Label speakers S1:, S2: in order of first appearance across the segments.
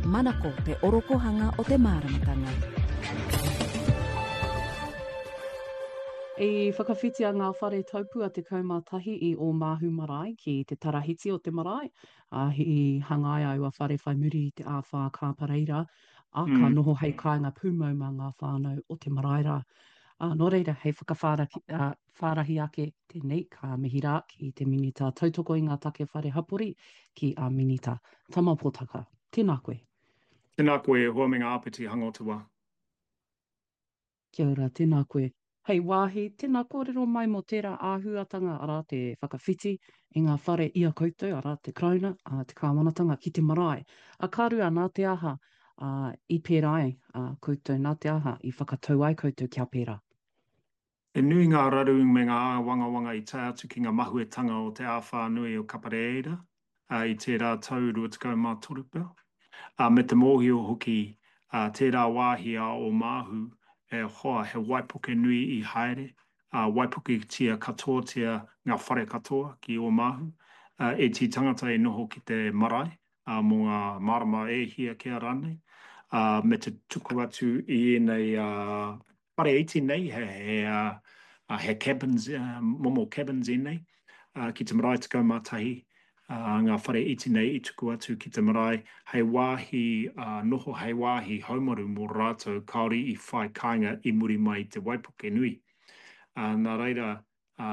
S1: Manako te orokohanga o te māramatanga.
S2: I whakawhitia ngā whare taupua 11 i Ōmāhu Marae ki te tarahiti o te marae, ā, i hangaia aua whare whai muri i te āwhā kāpareira, ā, ka noho hei kāinga pūmau mā ngā whānau o te marae rā. Ā, nō reira, hei whakawhārahi ake tēnei, ka mihi rā ki te Minita Tautoko i ngā Take Whare Hapori, ki a Minita Tama Potaka. Tēnā koe.
S3: Tēnā koe e hoa me ngā āpiti hanga o te wā.
S2: Kia ora, tēnā koe. Hei wāhi, tēnā kōrero mai mō tērā āhuatanga, arā, te whakawhiti i ngā whare i a koutou, arā, te Karauna, ā, te Kāwanatanga ki te marae. A ka rua, nā te aha, ā, i pērā ai, ā, koutou, nā te aha i whakatau ai koutou kia pērā?
S3: He nui ngā raru me ngā āwangawanga i tae atu ki ngā mahuetanga o te āwhā nui o Kapareira i tērā tau 23 pea, ā, me te mōhio hoki tērā wāhi a Ōmāhu e hoa he waipuke nui i haere, ā, waipuketia katoatia ngā whare katoa ki Ōmāhu, ēti tangata i noho ki te marae, ā, mō ngā marama e hia kea rānei, ā, me te tuku atu i ēnei whare iti nei, he, he, ā, he cabins, momo cabins ēnei, ā, ki te marae 11, ā, ngā whare iti nei i tuku atu ki te marae hei wāhi, ā, noho, hei wāhi haumaru mō rātou kāore i whai kāinga i muri mai i te waipuke nui. Ā, nā reira, ā,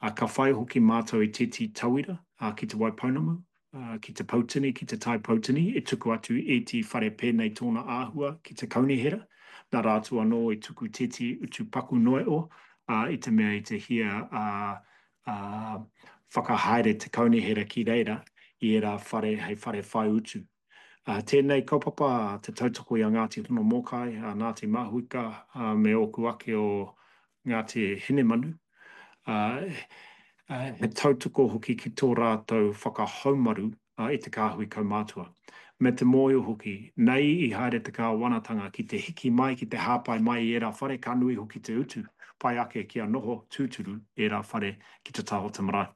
S3: ā, ka whai hoki mātou i tētehi tauira, ā, ki Te Waipounamu, ā, ki te Poutini, ki te Tai Poutini, e tuku atu ētehi whare pēnei tōna āhua ki te kaunihera, nā rātou anō i tuku tētehi utu paku noa iho, ā, i te mea i te hia, ā, ā, whakahaere te kaunihera ki reira i ērā whare hei whare whai utu. Ā, tēnei kaupapa te tautoko i a Ngāti Honomōkai, a Ngāti Mahuika, ā, me ōku ake o Ngāti Hinemanu, ā, he tautoko hoki ki tō rātou whakahaumaru i te kāhui kaumātua. Me te mōhio hoki, nei i haere te kāwanatanga ki te hiki mai, ki te hāpai mai i ērā whare, ka nui hoki te utu, pai ake kia noho tūturu ērā whare ki te taha o te marae.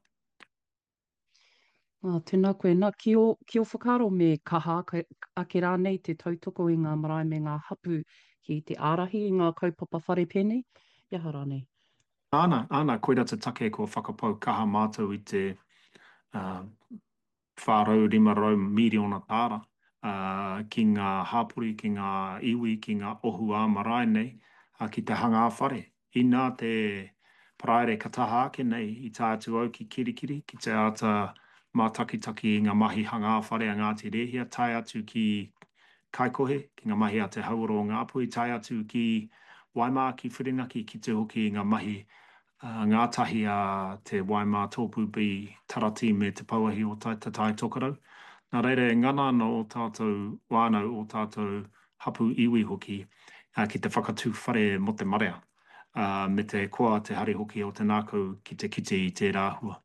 S2: Ā, tēnā koe. Nā, ki ō, ki ō whakaaro me kaha ake, ake rānei te tautoko i ngā marae me ngā hapū ki te ārahi i ngā kaupapa whare pēnei, i aha rānei?
S3: Āna, āna, koirā te take kua whakapau kaha mātou i te 400, 500 mīriona tāra ki ngā hapori, ki ngā iwi, ki ngā ohu ā-marae nei, ki te hanga whare. Inā te Paraire ka taha ake nei i tae atu au ki Kirikiri ki te āta mātakitaki i ngā mahi hangā whare a Ngāti Rēhia, tae atu ki Kaikohe, ki ngā mahi a Te Hauora o Ngāpuhi, tae atu ki Waimā, ki Whirinaki, ki te hoki i ngā mahi ngātahi a te Waimā Tōpū B Taratī me Te Pouahi o Te Tai Tokerau. Nā reira e ngana ana ō tātou whānau, ō tātou hapū iwi hoki, ki te whakatū whare mō te marea, ā, me te koa te hari hoki o te ngākau ki te kite i tērā āhua.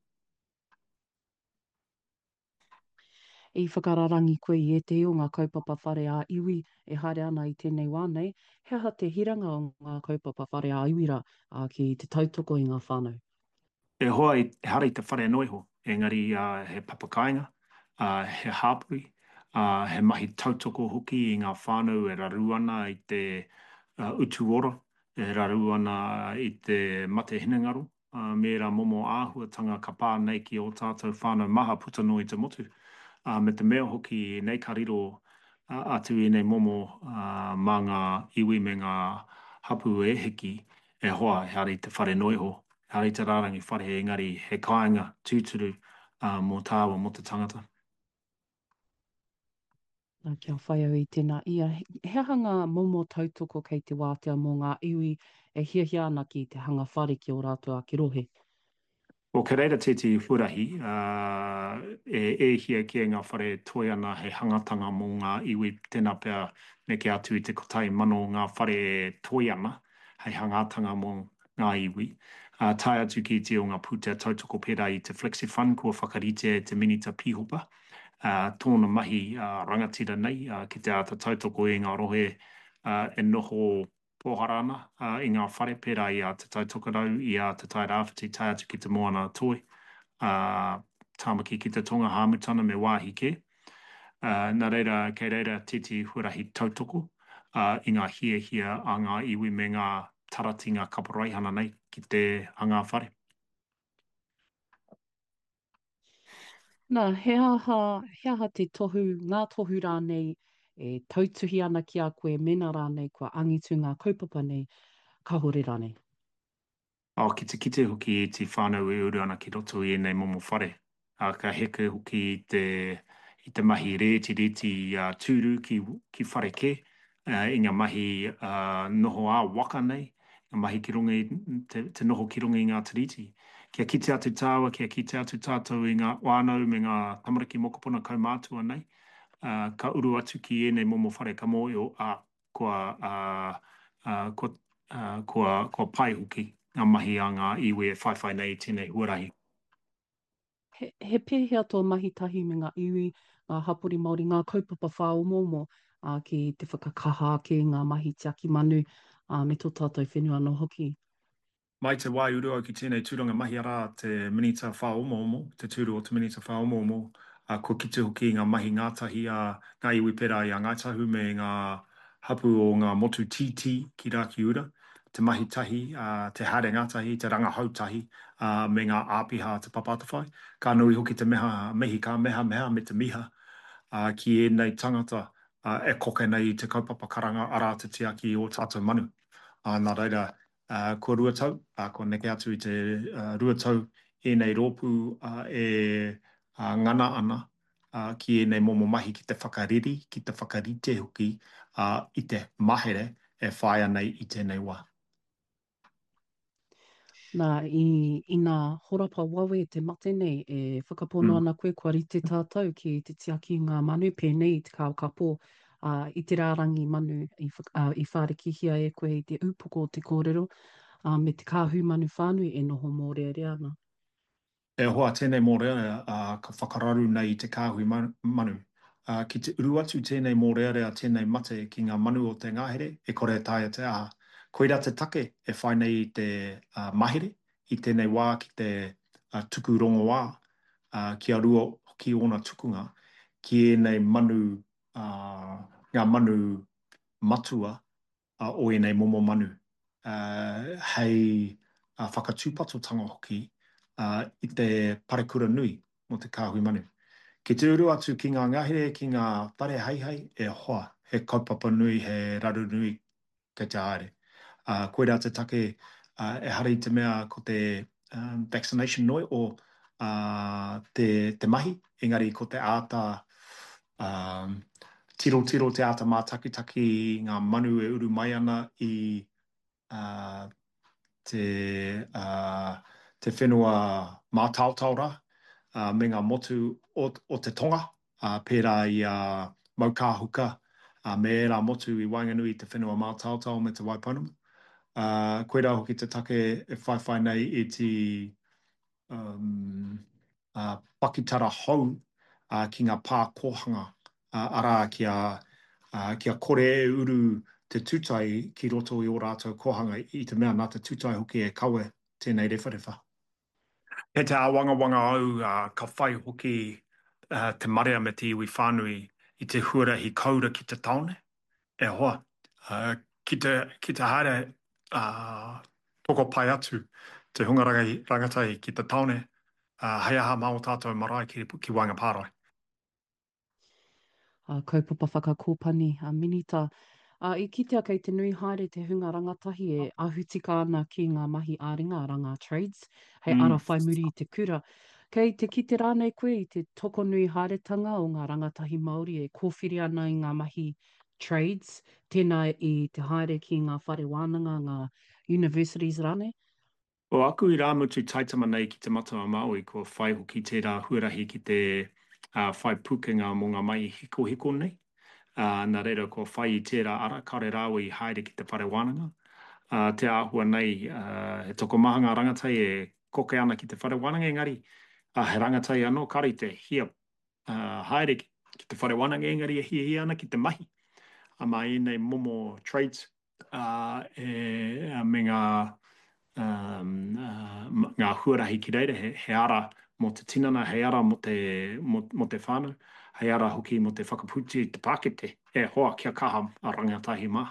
S2: I whakararangi koe i ētehi o ngā kaupapa whare ā-iwi e haere ana i tēnei wā nei, he aha te hiranga o ngā kaupapa whare ā-iwi rā, ā, ki te tautoko i ngā whānau?
S3: E hoa, ehara i te whare noa iho, engari he papakāinga, he hāpori, he mahi tautoko hoki i ngā whānau e raru ana i te utu ora, e raru ana i te mate hinengaro, me ērā momo āhuatanga ka pā nei ki ō tātou whānau maha puta noa i te motu. Me te mea hoki nei ka riro atu ēnei momo mā ngā iwi me ngā hapū e hiki, e hoa, ehara i te whare noa iho, Ehara i te rārangi whare engari he kāinga tūturu mō tāua, mō te tangata.
S2: Nā, kia whai au i tēnā ia, he aha ngā momo tautoko kei te wātea mō ngā iwi e hiahia ana ki te hanga whare ki ō rātou ake rohe?
S3: Well, kei reira tētehi huarahi, e e hia kē ngā whare e toe ana hei hangatanga mō ngā iwi, tēnā pea neke atu i te 1,000 ngā whare e toe ana hei hangatanga mō ngā iwi, ā, tae atu ki iti o ngā pūtea tautoko pērā i te Flexifund kua whakaritea e te Minita Pīhopa, ā, tōna mahi rangatira nei ki te āta tautoko i ngā rohe e noho pōhara ana i ngā whare pērā i a Te Tai Tokerau, i a Te Tai Rāwhiti tae atu ki Te Moana-a-Toi, ā, Tāmaki ki te Tonga, Hāmutana me wāhi kē. Nā reira, kei reira tētehi huarahi tautoko i ngā hiahia a ngā iwi me ngā tarati, ngā kaporeihana nei ki te hanga whare.
S2: Nā, he aha, he aha te tohu, ngā tohu rānei e tautuhi ana ki a koe mēnā rānei kua angitu ngā kaupapa nei, kāore rānei?
S3: Ā, ki te kite hoki i te whānau e uru ana ki roto i ēnei momo whare, ā, ka heke hoki i te, i te mahi rētirēti ā-tūru ki, ki whare kē, ā, i ngā mahi ā, noho ā-waka nei, ngā mahi ki runga i, te, te noho ki runga i ngā tiriti. Kia kite atu tāua, kia kite atu tātou i ngā whānau me ngā tamariki mokopuna kaumātua nei, ā, ka uru atu ki ēnei momo whare ka mōhio, ā, kua, ā, ā, kua, ā, kua, kua pai hoki ngā mahi a ngā iwi e whaiwhai nei i tēnei huarahi.
S2: He, he pēhea tō mahi tahi me ngā iwi, ngā hapori Māori, ngā kaupapa whāomoomo, ā, ki te whakakaha ake i ngā mahi tiaki manu, ā, me tō tātou whenua anō hoki?
S3: Mai te wā i uru au ki tēnei tūranga mahi arā te Minita Whāomoomo, te tūru o te Minita Whāomoomo, ā, kua kite hoki i ngā mahi ngātahi a ngā iwi pērā i a Ngāi Tahu me ngā hapū o ngā motu tītī ki Rakiura, te mahi tahi, ā, te haere ngātahi, te rangahau tahi, ā, me ngā āpiha a Te Papa Atawhai. Ka nui hoki te meha, mihi ka mehameha me te miha, ā, ki ēnei tangata, ā, e koke nei i te kaupapa karanga arā te tiaki i ō tātou manu. Ā, nā reira, Ā, kua tau, ā, kua neke atu i te 2 tau ēnei rōpū e ngana ana ki ēnei momo mahi ki te whakareri, ki te whakarite hoki i te mahere e whāia nei i tēnei wā.
S2: Nā, i, ina horapa wawe te mate nei, e whakapono ana koe kua rite tātou ki te tiaki i ngā manu pēnei i te kākapō ā, i te rārangi manu i, ā, i whārikihia e koe i te upoko o te kōrero, ā, me te kāhui manu whānui e noho mōrearea ana.
S3: E hoa, tēnei mōrearea, ā, ka whakararu nei i te kāhui manu. Ā, ki te uru atu tēnei mōrearea, tēnei mate ki ngā manu o te ngahere, e kore e taea te aha. Koirā te take e whai nei i te mahere i tēnei wā ki te tuku rongoā, ā, kia rua hoki ōna tukunga ki ēnei manu ā, ngā manu matua o ēnei momo manu, ā, hei whakatūpatotanga hoki i te parekura nui mō te kāhui manu. Ki te uru atu ki ngā ngahere, ki ngā whare heihei, e hoa, he kaupapa nui, he raru nui kei te haere. Ā, koirā te take, ā, ehara i te mea ko te vaccination noi o, ā, te, te mahi, engari ko te āta, ā, tirotiro, te āta mātakitaki i ngā manu e uru mai ana i, ā, te, ā, te whenua mātaotao rā, ā, me ngā motu o, o te tonga, ā, pērā i a Maukāhuka, ā, me ērā motu i waenganui i te whenua mātaotao me Te Waipounamu. Ā, koirā hoki te take e whaiwhai nei i te, um, ā, pakitara hou, ā, ki ngā pā kōhanga, ā, arā, kia, ā, kia kore e uru te tūtai ki roto i ō rātou kōhanga, i te mea nā te tūtai hoki e kawe tēnei rewharewha. Kei te āwangawanga au ka whai hoki te marea me te iwi whānui i te huarahi koura ki te tāone, e hoa, ki te, ki te haere tokopae atu te hunga rangatahi ki te tāone, hei aha mā ō tātou marae ki, ki waenga pārae.
S2: Ā, kaupapa whakakōpani a Minita. Ā, i kitea kei te nui haere te hunga rangatahi e ahu tika ana ki ngā mahi ā-ringa, arā ngā trades, hei ara whai muri i te kura. Kei te kite rānei koe i te tokonui haeretanga o ngā rangatahi Māori e kōwhiri ana i ngā mahi trades, tēnā i te haere ki ngā whare wānanga, ngā universities rānei?
S3: Ko aku irāmutu taitama nei ki Te Matau-a-Māui kua whai hoki tērā huarahi ki te whai pūkenga mō ngā mahi hikohiko nei, ā, nā reira kua whai i tērā ara, kāore rāua i haere ki te whare wānanga. Ā, te āhua nei, he tokomaha ngā rangatahi e koke ana ki te whare wānanga engari, ā, he rangatahi anō kāore i te hia haere ki te whare wānanga engari e hiahia ana ki te mahi mā ēnei momo trades. ā, e, me ngā, ngā huarahi ki reira, he, he ara mō te tinana, hei ara mō te, mō, mō te whānau. hei ara hoki mō te whakaputi i te pākete, e hoa kia kaha a rangatahi mā.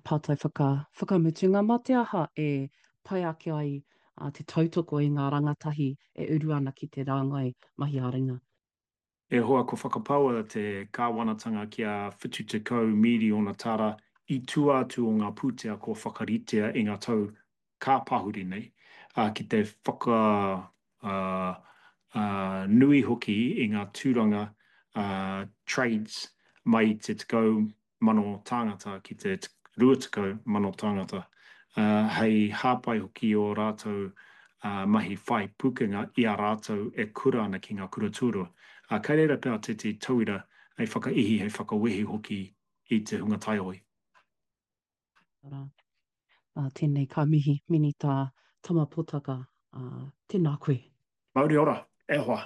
S2: Pātai whaka, whakamutunga, mā te aha e pai ake ai te tautoko i ngā rangatahi e uru ana ki te rāngai mahi ā-ringa?
S3: E hoa, kua whakapaua te kāwanatanga kia 70 mīriona tāra i tua atu o ngā pūtea kua whakaritea i ngā tau ka pahuri nei, ā, ki te whaka, ā, ā, nui hoki i ngā tūranga, ā, trades mai i te 10,000 tāngata ki te 20,000 tāngata, ā, hei hāpai hoki i ō rātou, ā, mahi whai pūkenga i a rātou e kura ana ki ngā kura tuarua. Ā, kei reira pea tētehi tauira hei whakaihi, hei whakawehi hoki i te hunga taiohi.
S2: Arā, ā, tēnei ka mihi, Minita Tama Potaka, ā, tēnā koe.
S3: Mauri ora, e hoa.